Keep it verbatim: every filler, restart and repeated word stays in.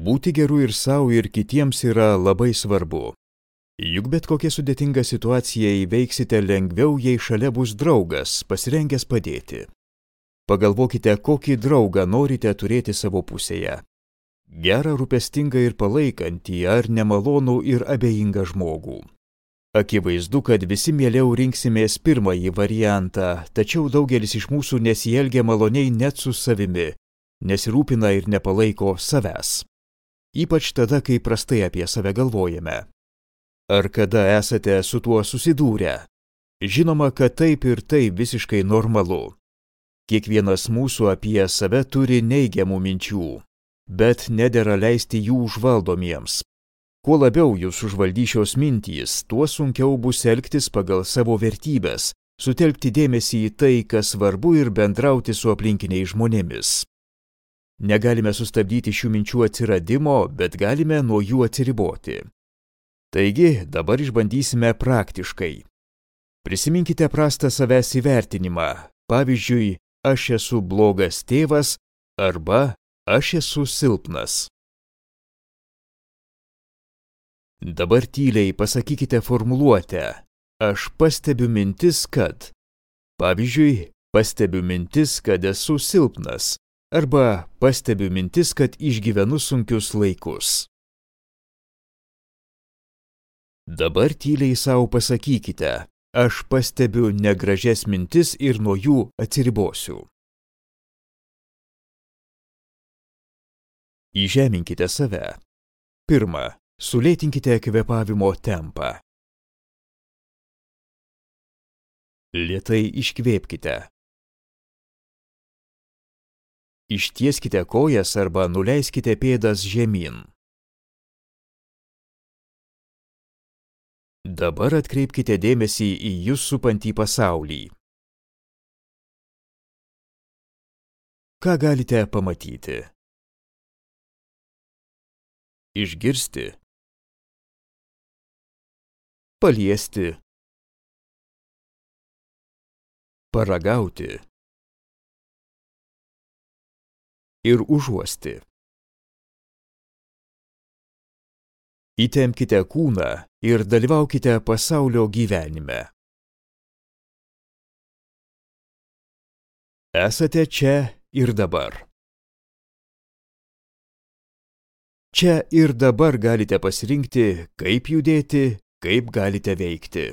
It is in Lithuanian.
Būti geru ir savo, ir kitiems yra labai svarbu. Juk bet kokia sudėtinga situacija įveiksite lengviau, jei šalia bus draugas, pasirengęs padėti. Pagalvokite, kokį draugą norite turėti savo pusėje. Gerą, rūpestingą ir palaikantį, ar nemalonų ir abejingą žmogų. Akivaizdu, kad visi mieliau rinksimės pirmąjį variantą, tačiau daugelis iš mūsų nesielgia maloniai net su savimi, nesirūpina ir nepalaiko savęs. Ypač tada, kai prastai apie save galvojame. Ar kada esate su tuo susidūrę? Žinoma, kad taip ir tai visiškai normalu. Kiekvienas mūsų apie save turi neigiamų minčių, bet nedera leisti jų užvaldomiems. Kuo labiau jūs užvaldys šios mintys, tuo sunkiau bus elgtis pagal savo vertybes, sutelkti dėmesį į tai, kas svarbu ir bendrauti su aplinkiniais žmonėmis. Negalime sustabdyti šių minčių atsiradimo, bet galime nuo jų atsiriboti. Taigi, dabar išbandysime praktiškai. Prisiminkite prastą savęs įvertinimą. Pavyzdžiui, aš esu blogas tėvas arba aš esu silpnas. Dabar tyliai pasakykite formuluotę. Aš pastebiu mintis, kad. Pavyzdžiui, pastebiu mintis, kad esu silpnas. Arba pastebiu mintis, kad išgyvenu sunkius laikus. Dabar tyliai savo pasakykite, aš pastebiu negražias mintis ir nuo jų atsiribosiu. Įžeminkite save. Pirma, sulėtinkite kvėpavimo tempą. Lėtai iškvėpkite. Ištieskite kojas arba nuleiskite pėdas žemyn. Dabar atkreipkite dėmesį į jus supantį pasaulį. Ką galite pamatyti? Išgirsti. Paliesti. Paragauti. Ir užuosti. Įtempkite kūną ir dalyvaukite pasaulio gyvenime. Esate čia ir dabar. Čia ir dabar galite pasirinkti, kaip judėti, kaip galite veikti.